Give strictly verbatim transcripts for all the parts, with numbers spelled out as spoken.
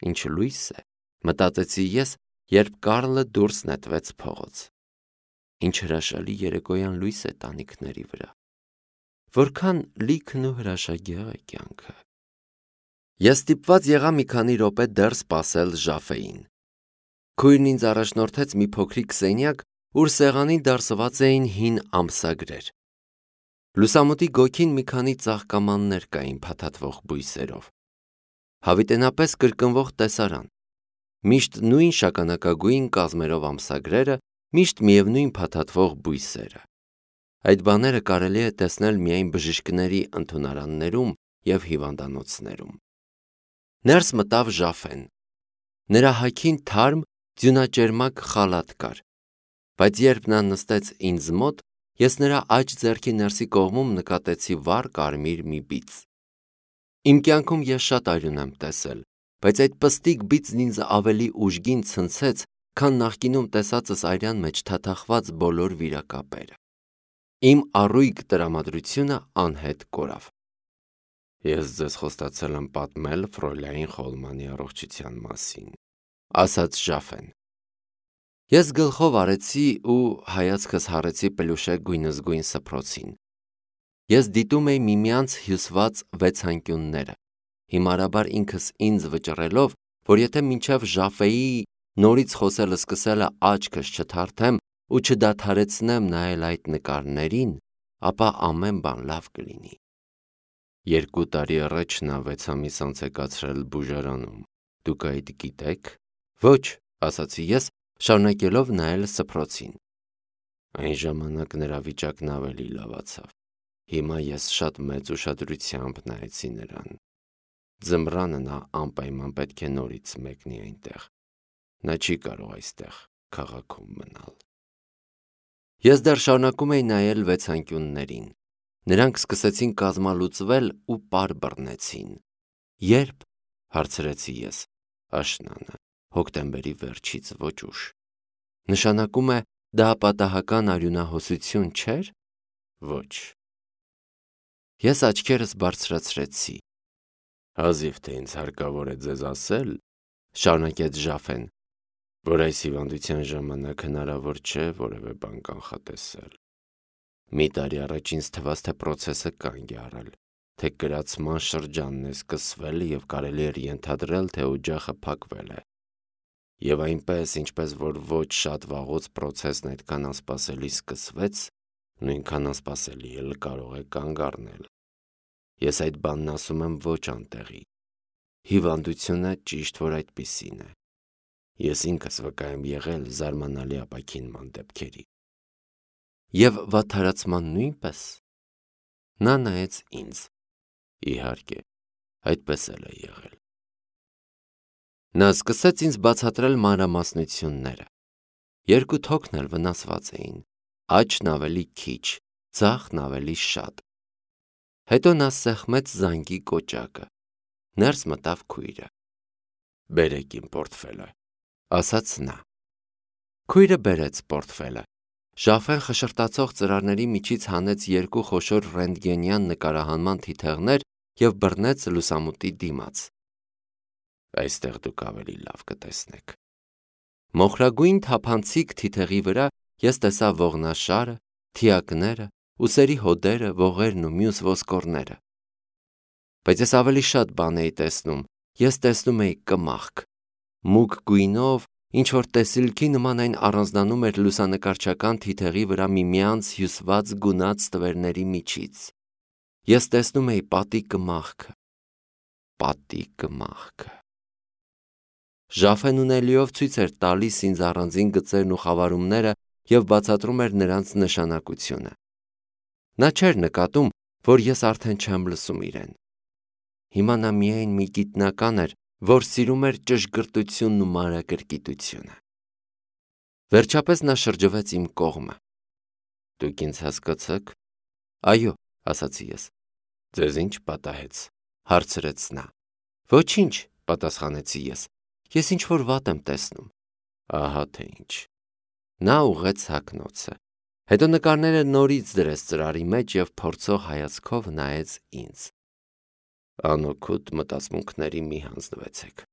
Ինչ լույս է, մտածեցի ես, երբ Կարլը դուրս նետվեց փողոց։ Ինչ հրաշալի երեկոյան լույս է տանիքների վրա։ Որքան լիքն ու հրաշագեղ է կյանքը։ Ես ստիպված եղա մի քանի րոպե դեռ սպասել Ժաֆեին։ Քույրն ինձ առաջնորդեց մի փոքրիկ սենյակ, ուր սեղանին դարսված էին հին ամսագրեր։ Լուսամուտի գոգին մի քանի ծաղկամաններ կային փաթաթվող բույսերով։ Հավիտենապես կրկնվող տեսարան։ Միշտ նույն շագանակագույն կազմերով ամսագրերը, միշտ միևնույն փաթաթվող բույսերը։ Այդ բաները կարելի է տեսնել միայն բժիշկների ընդունարաններում և հիվանդանոցներում։ Ներս մտավ Ժաֆեն։ Նրա հագին թարմ, ձյունաճերմակ խալաթ կար, բայց երբ նա նստեց ինձ մոտ, ես նրա աջ ձեռքի ներսի կողմում նկատեցի վառ կարմիր մի բիծ։ Իմ կյանքում ես շատ արյուն եմ տեսել, բայց այդ պստիկ բիծն ինձ ավելի ուժգին ցնցեց, քան նախկինում տեսածս արյան մեջ թաթախված բոլոր վիրակապերը։ Իմ առույգ տրամադրությունը անհետ կորավ։ Ես ձեզ խոստացել եմ պատմել Ֆրոյլայն Խոլմանի առողջության մասին, ասաց Ժաֆեն։ Ես գլխով արեցի ու հայացքս հառեցի պելուշե գույնզգույն սփռոցին։ Ես դիտում էի միմյանց հյուսված վեցանկյունները, հիմարաբար ինքս ինձ վճռելով, որ եթե մինչև Ժաֆեի նորից խոսելը սկսելը աչքս չթարթեմ ու չդադարեցնեմ նայել այդ նկարներին, ապա ամեն բան լավ կլինի։ Երկու տարի առաջ նա վեց ամիս անց է կացրել բուժարանում, դուք այդ գիտեք։ Ոչ, ասացի ես, շարունակելով նայել սփռոցին։ Այն ժամանակ նրա վիճակն ավելի լավացավ։ Հիմա ես շատ մեծ ուշադրությամբ նայեցի նրան։ Ձմռանը նա անպայման պետք է նորից մեկնի այնտեղ։ Նա չի կարող այստեղ քաղաքում մնալ։ Ես դեռ շարունակում էի նայել վեցանկյուններին։ Նրանք սկսեցին կազմալուծվել ու պար բռնեցին։ Երբ, հարցրեցի ես, աշնանը, հոկտեմբերի վերջից ոչ ուշ։ Նշանակում է դա պատահական արյունահոսություն չէր։ Ոչ։ Ես աչքերս բարձրացրեցի։ Հազիվ թե ինձ հարկավոր է ձեզ ասել, շարունակեց Ժաֆեն, որ այս հիվանդության ժամանակ հնարավոր չէ որևէ բան կանխատեսել։ Մի տարի առաջ ինձ թվաց, թե պրոցեսը կանգ է առել, թե կրացման շրջանն է սկսվել և կարելի էր ենթադրել, թե օջախը փակվել է։ Եվ այնպես, ինչպես որ ոչ շատ վաղուց պրոցեսն այդքան անսպասելի սկսվեց, նույնքան անսպասելի էլ կարող է կանգ առնել։ Ես այդ բանն ասում եմ ոչ անտեղի։ Հիվանդությունը ճիշտ որ այդպիսին է։ Ես ինքս վկա եմ եղել զարմանալի ապաքինման դեպքերի։ Եվ վատթարացման նույնպես։ Նա նայեց ինձ։ Իհարկե, այդպես էլ է եղել։ Նա սկսեց ինձ բացատրել մանրամասնությունները։ Երկու թոքն էլ վնասված էին, աջն ավելի քիչ, ձախն ավելի շատ։ Հետո նա սեղմեց զանգի կոճակը։ Ներս մտավ քույրը։ Բերեք իմ պորտֆելը, ասաց նա։ Քույրը բերեց պորտֆելը։ Ժաֆեն խշշրտացող ծրարների միջից հանեց երկու խոշոր ռենտգենյան նկարահանման թիթեղներ և բռնեց լուսամուտի դիմաց։ Այստեղ դուք ավելի լավ կտեսնեք։ Մոխրագույն թափանցիկ թիթեղի վրա ես տեսա ողնաշարը, թիակները, ուսերի հոդերը, ողերն ու մյուս ոսկորները։ Բայց ես ավելի շատ բան էի տեսնում, ես տեսնում էի կմախք։ Մուգ գույնով, ինչ-որ տեսիլքի նման այն առանձնանում էր լուսանկարչական թիթեղի վրա միմյանց հյուսված գունած ստվերների միջից։ Ես տեսնում էի պատի կմախքը։ Պատի կմախքը։ Ժաֆեն ունելիով ցույց էր տալիս ինձ առանձին գծերն ու խավարումները և բացատրում էր նրանց նշանակությունը։ Նա չէր նկատում, որ ես արդեն չեմ լսում իրեն։ Հիմա նա միայն մի գիտնական էր, որ սիրում էր ճշգրտությունն ու մանրակրկիտությունը։ Վերջապես նա շրջվեց իմ կողմը։ Դուք ինձ հասկացաք։ Այո, ասացի ես։ Ձեզ ինչ պատահեց, հարցրեց նա։ Ոչինչ, պատասխանեցի ես։ Ես ինչ-որ վատ եմ տեսնում։ Ահա թե ինչ։ Նա ուղղեց հագնոցը։ Հետո նկարները նորից դրեց ծրարի մեջ և փորձող հայացքով նայեց ինձ։ Անօգուտ մտածմունքների մի հանձնվեցեք։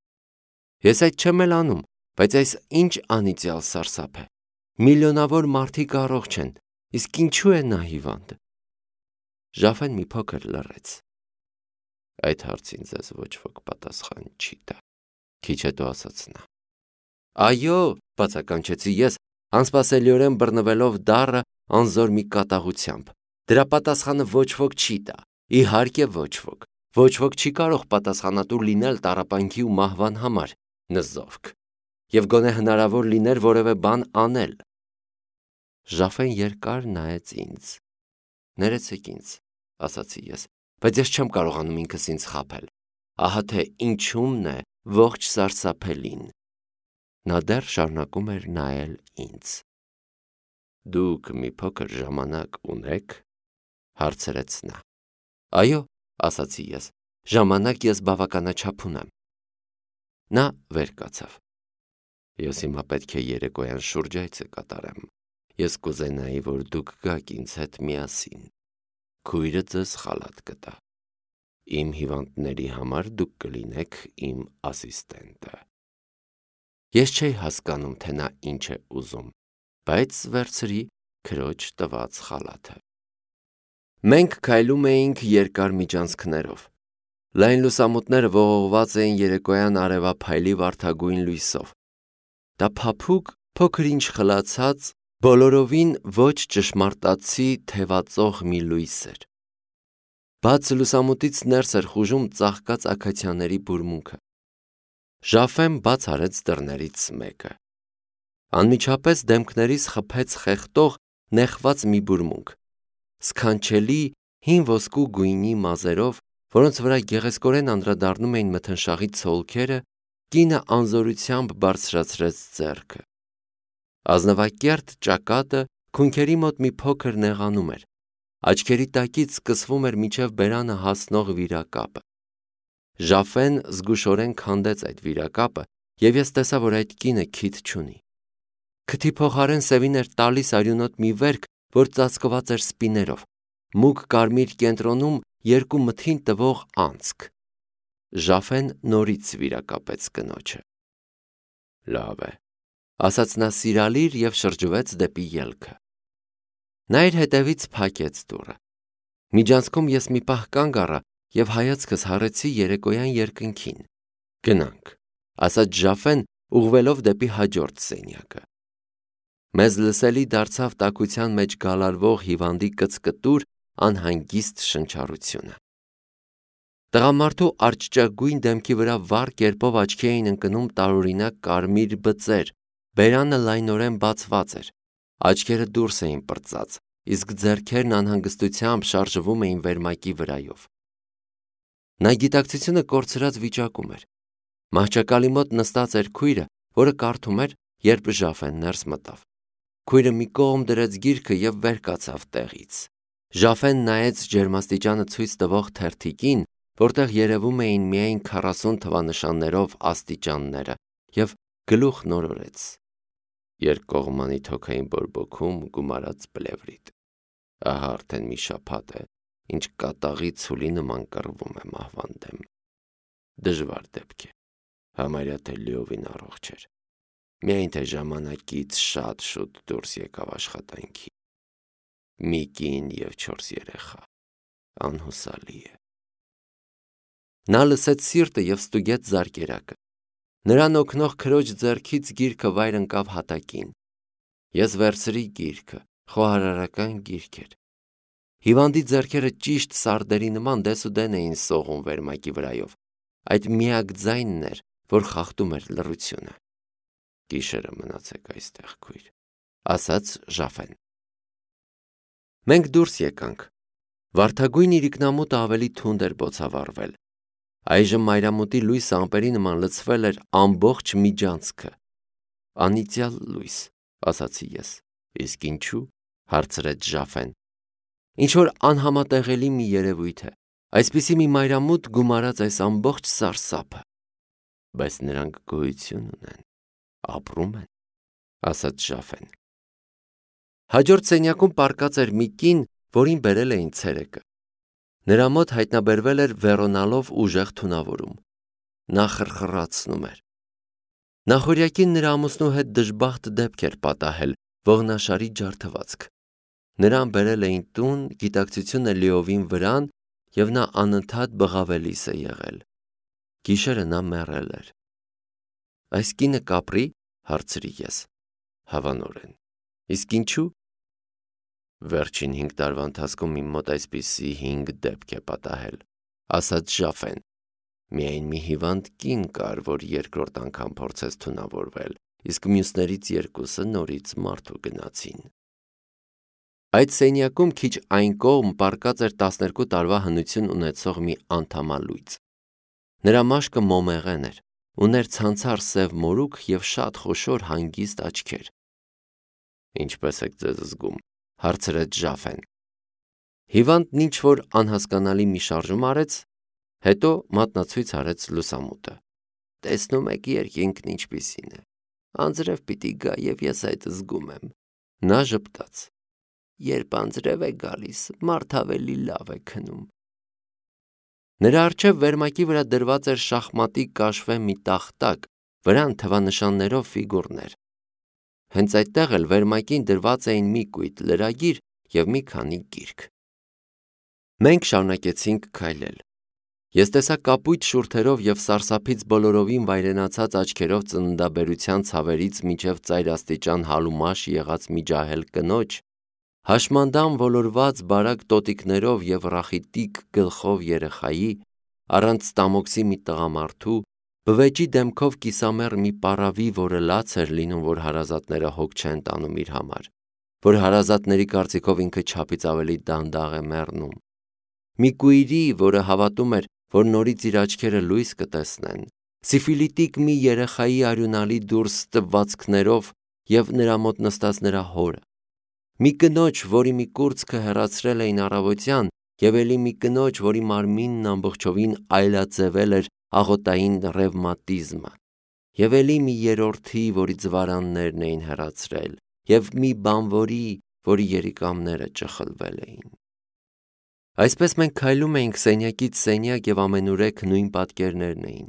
Ես այդ չեմ էլ անում, բայց այս ինչ անիծյալ սարսափ է։ Միլիոնավոր մարդիկ առողջ են, իսկ ինչու է նա հիվանդ։ Ժաֆեն մի փոքր լռեց։ Այդ հարցին ձեզ ոչ ոք պատասխան չի տա, քիչ հետո ասաց նա։ Այո, բացականչեցի ես, անսպասելիորեն բռնվելով դառը անզոր մի կատաղությամբ։ Դրա պատասխանը ոչ ոք չի տա, իհարկե ոչ ոք։ Ոչ ոք չի կարող պատասխանատու լինել տառապանքի ու մահվան համար, նզովք, եւ գոնե հնարավոր լիներ որևէ բան անել։ Ժաֆեն երկար նայեց ինձ։ Ներեցեք ինձ, ասացի ես, բայց ես չեմ կարողանում ինքս ինձ խաբել։ Ահա թե ինչումն է ողջ սարսափելին։ Նա դեռ շարունակում էր նայել ինձ։ Դուք մի փոքր ժամանակ ունեք, հարցրեց նա։ Այո, ասացի ես, ժամանակ ես բավականաչափ ունեմ։ Նա վեր կացավ։ Ես հիմա պետք է երեկոյան շուրջայցը կատարեմ։ Ես կուզենայի, որ դուք գաք ինձ հետ միասին։ Քույրը ձեզ խալաթ կտա։ Իմ հիվանդների համար դուք կլինեք իմ ասիստենտը։ Ես չէի հասկանում, թե նա ինչ է ուզում, բայց վերցրի քրոջ տված խալաթը։ Մենք քայլում էինք երկար միջանցքներով։ Լայն լուսամուտները ողողված էին երեկոյան արևափայլի վարդագույն լույսով։ Դա փափուկ, փոքր-ինչ խլացած, բոլորովին ոչ ճշմարտացի թևածող մի լույս էր։ Բաց լուսամուտից ներս էր խուժում ծաղկած աքացիաների բուրմունքը։ Ժաֆեն բաց արեց դռներից մեկը։ Անմիջապես դեմքներիս խփեց խեղդող, նեղված մի բուրմունք։ Սքանչելի, հին ոսկու գույնի մազերով, որոնց վրա գեղեցկորեն անդրադառնում էին մթնշաղի ցոլքերը, կինը անզորությամբ բարձրացրեց ձեռքը։ Ազնվակերտ ճակատը քունքերի մոտ մի փոքր նեղանում էր։ Աչքերի տակից սկսվում էր մինչև բերանը հասնող վիրակապը։ Ժաֆեն զգուշորեն քանդեց այդ վիրակապը, եւ ես տեսա, որ այդ կինը քիթ չունի։ Քթի փոխարեն սևին էր տալիս արյունոտ մի վերք, որ ծածկված էր սպիներով, մուգ կարմիր կենտրոնում երկու մթին տվող անցք։ Ժաֆեն նորից վիրակապեց կնոջը։ Լավ է, ասաց նա սիրալիր եւ շրջվեց դեպի ելքը։ Նա իր հետևից փակեց դուռը։ Միջանցքում ես մի պահ կանգ առա եւ հայացքս հառեցի երեկոյան երկնքին։ Գնանք, ասաց Ժաֆեն, ուղղվելով դեպի հաջորդ սենյակը։ Մեզ լսելի դարձավ տաքության մեջ գալարվող հիվանդի կծկտուր, անհանգիստ շնչառությունը։ Տղամարդու արճճագույն դեմքի վրա վառ կերպով աչքի էին ընկնում տարօրինակ կարմիր բծեր, բերանը լայնորեն բացված էր, աչքերը դուրս էին պրծած, իսկ ձեռքերն անհանգստությամբ շարժվում էին վերմակի վրայով։ Նա գիտակցությունը կորցրած վիճակում էր։ Մահճակալի մոտ նստած էր քույրը, որը կարդում էր, երբ Ժաֆեն ներս մտավ։ Քույրը մի կողմ դրեց գիրքը եւ վեր կացավ տեղից։ Ժաֆեն նայեց ջերմաստիճանը ցույց տվող թերթիկին, որտեղ երևում էին միայն քառասուն թվանշաններով աստիճանները, եւ գլուխ նորորեց։ Երկկողմանի թոքային բորբոքում գումարած պլևրիտ։ Ահա արդեն մի շաբաթ է, ինչ կատաղի ցուլի նման կռվում է մահվան դեմ։ Դժվար դեպք է, համարյա թե լիովին առողջ էր։ Միայն թե ժամանակից շատ շուտ դուրս եկավ աշխատանքի։ Մի կին եւ չորս երեխա, անհուսալի է։ Նա լսեց սիրտը եւ ստուգեց զարկերակը։ Նրան օգնող քրոջ ձեռքից գիրքը վայր ընկավ հատակին։ Ես վերցրի գիրքը, խոհարարական գիրք էր։ Հիվանդի ձեռքերը ճիշտ սարդերի նման դեսուդեն էին սողում վերմակի վրայով։ Այդ միակ ձայնն էր, որ խախտում էր լռությունը։ Գիշերը մնացեք այստեղ, քույր, ասաց Ժաֆեն։ Մենք դուրս եկանք։ Վարդագույն իրիկնամուտը ավելի թունդ էր բոցավառվել։ Այժմ մայրամուտի լույսը ամպերի նման լցվել էր ամբողջ միջանցքը։ Անիծյալ լույս, ասացի ես։ Իսկ ինչու՞, հարցրեց Ժաֆեն։ Ինչ որ անհամատեղելի մի երևույթ է։ Այսպիսի մի մայրամուտ գումարած այս ամբողջ սարսափը։ Բայց նրանք գոյություն ունեն, ապրում են, ասաց Ժաֆեն։ Հաջորդ սենյակում պառկած էր մի կին, որին բերել էին ցերեկը։ Նրա մոտ հայտնաբերվել էր վերոնալով ուժեղ թունավորում։ Նա խրխրացնում էր։ Նախորյակին նրա ամուսնու հետ դժբախտ դեպք էր պատահել, ողնաշարի ջարդվածք։ Նրան բերել էին տուն, գիտակցությունը լիովին վրան, և նա անընդհատ բղավելիս է եղել։ Գիշերը նա մեռել էր։ Այս կինը կապրի, հարցրի ես։ Հավանորեն։ Իսկ ինչու։ Վերջին հինգ տարվա ընթացքում իմ մոտ այսպիսի հինգ դեպք է պատահել, ասաց Ժաֆեն։ Միայն մի հիվանդ կին կար, որ երկրորդ անգամ փորձեց թունավորվել, իսկ մյուսներից երկուսը նորից մարդու գնացին։ Այդ սենյակում քիչ այն կողմ պառկած էր տասներկու տարվա հնություն ունեցող մի անդամալույծ։ Նրա մաշկը մոմեղեն էր, ուներ ցանցառ սև մորուք և շատ խոշոր հանգիստ աչքեր։ Ինչպե՞ս եք ձեզ զգում, հարցրեց Ժաֆեն։ Հիվանդն ինչ-որ անհասկանալի մի շարժում արեց, հետո մատնացույց արեց լուսամուտը։ Տեսնում եք երկինքն ինչպիսին է։ Անձրև պիտի գա և ես այդ զգում եմ։ Նա ժպտաց։ Երբ անձրև է գալիս, մարդ ավելի լավ է քնում։ Նրա առջև վերմակի վրա դրված էր շախմատի կաշվե մի տախտակ, վրան թվանշաններով ֆիգուրներ։ Հենց այդտեղ էլ վերմակին դրված էին մի կույտ լրագիր և մի քանի գիրք։ Մենք շարունակեցինք քայլել։ Ես տեսա կապույտ շուրթերով և սարսափից բոլորովին վայրենացած աչքերով ծննդաբերության ցավերից մինչև ծայրաստիճան հալումաշ եղած մի ջահել կնոջ, հաշմանդամ ոլորված բարակ տոտիկներով և ռախիտիկ գլխով երեխայի, առանց ստամոքսի մի տղամարդու, բվեճի դեմքով կիսամեռ մի պառավի, որը լաց էր լինում, որ հարազատները հոգ չեն տանում իր համար, որ հարազատների կարծիքով ինքը չափից ավելի դանդաղ է մեռնում, մի կույրի, որը հավատում էր, որ նորից իր աչքերը լույս կտեսնեն, սիֆիլիտիկ մի երեխայի արյունալի դուրս տվվածքներով և նրա մոտ նստած նրա հորը, մի կնոջ, որի մի կուրծքը հեռացրել էին առավոտյան, և էլի մի կնոջ, որի մարմինն ամբողջովին այլաձևել էր աղոտային ռևմատիզմը, և էլի մի երրորդի, որի ձվարաններն էին հեռացրել, և մի բանվորի, որի երիկամները ճխլվել էին։ Այսպես մենք քայլում էինք սենյակից սենյակ և ամենուրեք նույն պատկերներն էին։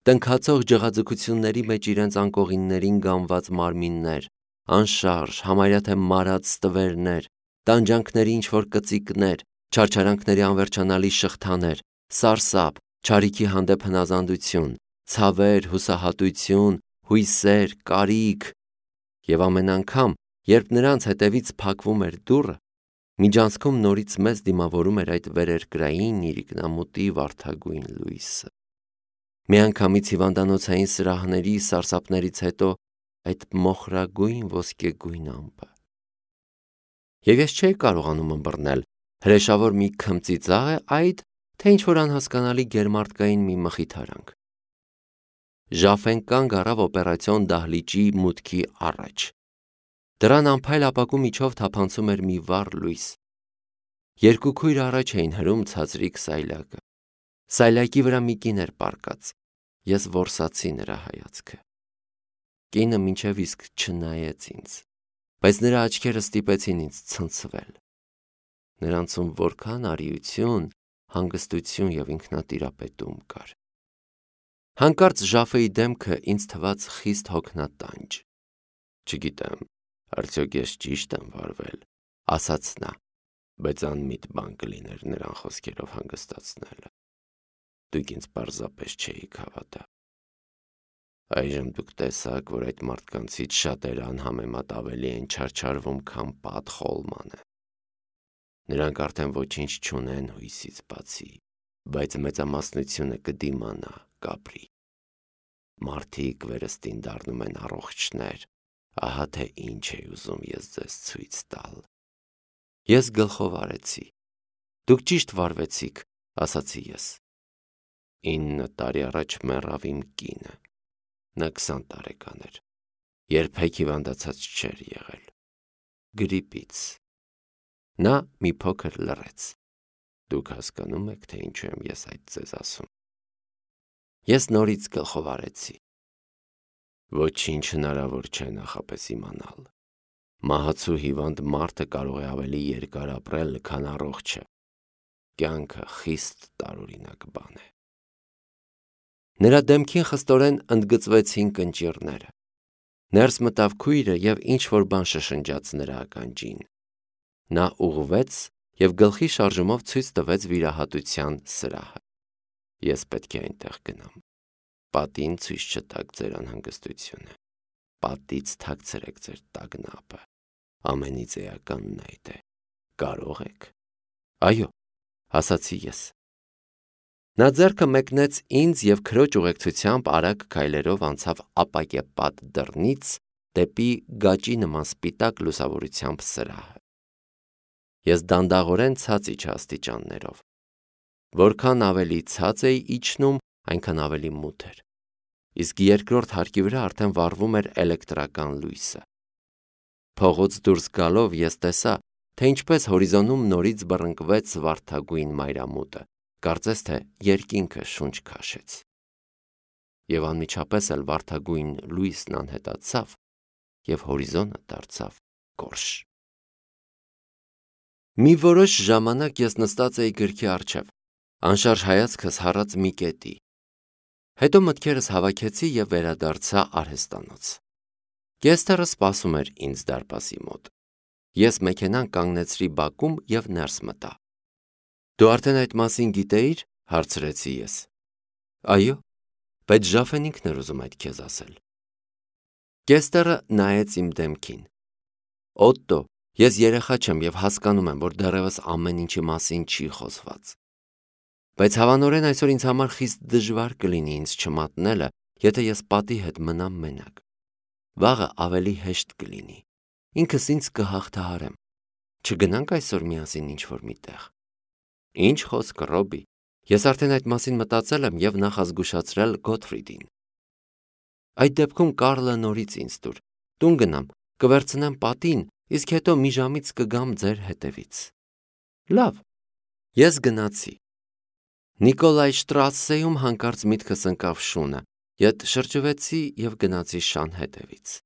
Տնքացող ջղաձգությունների մեջ իրենց անկողիններին գամված մարմիններ, անշարժ, համարյա թե մարած ստվերներ, տանջանքների ինչ-որ կծիկներ, չարչարանքների անվերջանալի շղթաներ, սարսափ, չարիքի հանդեպ հնազանդություն, ցավեր, հուսահատություն, հույսեր, կարիք, և ամեն անգամ, երբ նրանց հետևից փակվում էր դուռը, միջանցքում նորից մեզ դիմավորում էր այդ վերերկրային իրիկնամուտի վարդագույն լույսը։ Միանգամից հիվանդանոցային սրահների սարսափներից հետո այդ մոխրագույն ոսկեգույն ամպը։ Եվ ես չէի կարողանում ըմբռնել, հրեշավոր մի քմծիծաղ է այդ, թե ինչ-որ անհասկանալի գերմարդկային մի մխիթարանք։ Ժաֆեն կանգ առավ օպերացիոն դահլիճի մուտքի առաջ։ Դռան անփայլ ապակու միջով թափանցում էր մի վառ լույս։ Երկու քույր առաջ էին հրում ցածրիկ սայլակը։ Սայլակի վրա մի կին էր պառկած։ Ես որսացի նրա հայացքը։ Կինը մինչև իսկ չնայեց ինձ, բայց նրա աչքերը ստիպեցին ինձ ցնցվել։ Նրանցում որքան արիություն, հանգստություն և ինքնատիրապետում կար։ Հանկարծ Ժաֆեի դեմքը ինձ թվաց խիստ հոգնատանջ։ Չգիտեմ, արդյոք ես ճիշտ եմ վարվել, ասաց նա, բայց անմիտ բան կլիներ նրան խոսքերով հանգստացնելը։ Դուք ինձ պարզապես չէիք հավատա։ Այժմ դուք տեսաք, որ այդ մարդկանցից շատերը անհամեմատ ավելի են չարչարվում, քան Պատ Խոլմանը։ Նրանք արդեն ոչինչ չունեն հույսից բացի, բայց մեծամասնությունը կդիմանա, կապրի։ Մարդիկ վերստին դառնում են առողջներ, ահա թե ինչ է ուզում ես ձեզ ցույց տալ։ Ես գլխով արեցի։ Դուք ճիշտ վարվեցիք, ասացի ես։ Ինը տարի առաջ մեռավ իմ կինը։ Նա քսան տարեկան էր, երբեք հիվանդացած չէր եղել։ Գրիպից։ Նա մի փոքր լռեց։ Դուք հասկանում եք, թե ինչու եմ ես այդ ձեզ ասում։ Ես նորից գլխով արեցի։ Ոչինչ հնարավոր չէ նախապես իմանալ։ Մահացու հիվանդ մարդը կարող է ավելի երկար ապրել, քան առողջը։ Կյանքը խիստ տարօրինակ բան է։ Նրա դեմքին խստորեն ընդգծվեցին կնճիռները։ Ներս մտավ քույրը և ինչ-որ բան շշնջաց նրա ականջին։ Նա ուղղվեց և գլխի շարժումով ցույց տվեց վիրահատության սրահը։ Ես պետք է այնտեղ գնամ։ Պատին ցույց չտաք ձեր անհանգստությունը։ Պատից թաքցրեք ձեր տագնապը։ Ամենից էականն այդ է։ Կարո՞ղ եք։ Այո, ասացի ես։ Նա ձեռքը մեկնեց ինձ և քրոջ ուղեկցությամբ արագ քայլերով անցավ ապակեպատ դռնից դեպի գաճի նման սպիտակ լուսավորությամբ սրահը։ Ես դանդաղորեն ցած իջա աստիճաններով։ Որքան ավելի ցած էի իջնում, այնքան ավելի մութ էր, իսկ երկրորդ հարկի վրա արդեն վառվում էր էլեկտրական լույսը։ Փողոց դուրս գալով ես տեսա, թե ինչպես հորիզոնում նորից բռնկվեց վարդագույն մայրամուտը, կարծես թե երկինքը շունչ քաշեց։ Եվ անմիջապես էլ վարդագույն լույսն անհետացավ, և հորիզոնը դարձավ գորշ։ Մի որոշ ժամանակ ես նստած էի գրքի առջև, անշարժ հայացքս հառած մի կետի։ Հետո մտքերս հավաքեցի և վերադարձա արհեստանոց։ Կեստերը սպասում էր ինձ դարպասի մոտ։ Ես մեքենան կանգնեցրի բակում և ներս մտա։ Դու արդեն այդ մասին գիտեիր, հարցրեցի ես։ Այո, բայց Ժաֆենինքն էր ուզում այդ քեզ ասել։ Կեստերը նայեց իմ դեմքին։ Օտտո, ես երեխա չեմ և հասկանում եմ, որ դեռևս ամեն ինչի մասին չի խոսված։ Բայց հավանորեն այսօր ինձ համար խիստ դժվար կլինի ինձ չմատնելը, եթե ես պատի հետ մնամ մենակ։ Վաղը ավելի հեշտ կլինի։ Ինքս ինձ կհաղթահարեմ։ Չգնանք այսօր միասին ինչ-որ մի տեղ։ Ինչ խոսք, Ռոբի, ես արդեն այդ մասին մտածել եմ և նախազգուշացրել Գոթֆրիդին։ Այդ դեպքում Կարլը նորից ինձ տուր, տուն գնամ, կվերցնեմ պատին, իսկ հետո մի ժամից կգամ ձեր հետևից։ Լավ, ես գնացի։ Նիկոլայ Շտրասսեում հանկարծ միտքս ընկավ շունը, ետ շրջվեցի և գնացի շան հետևից։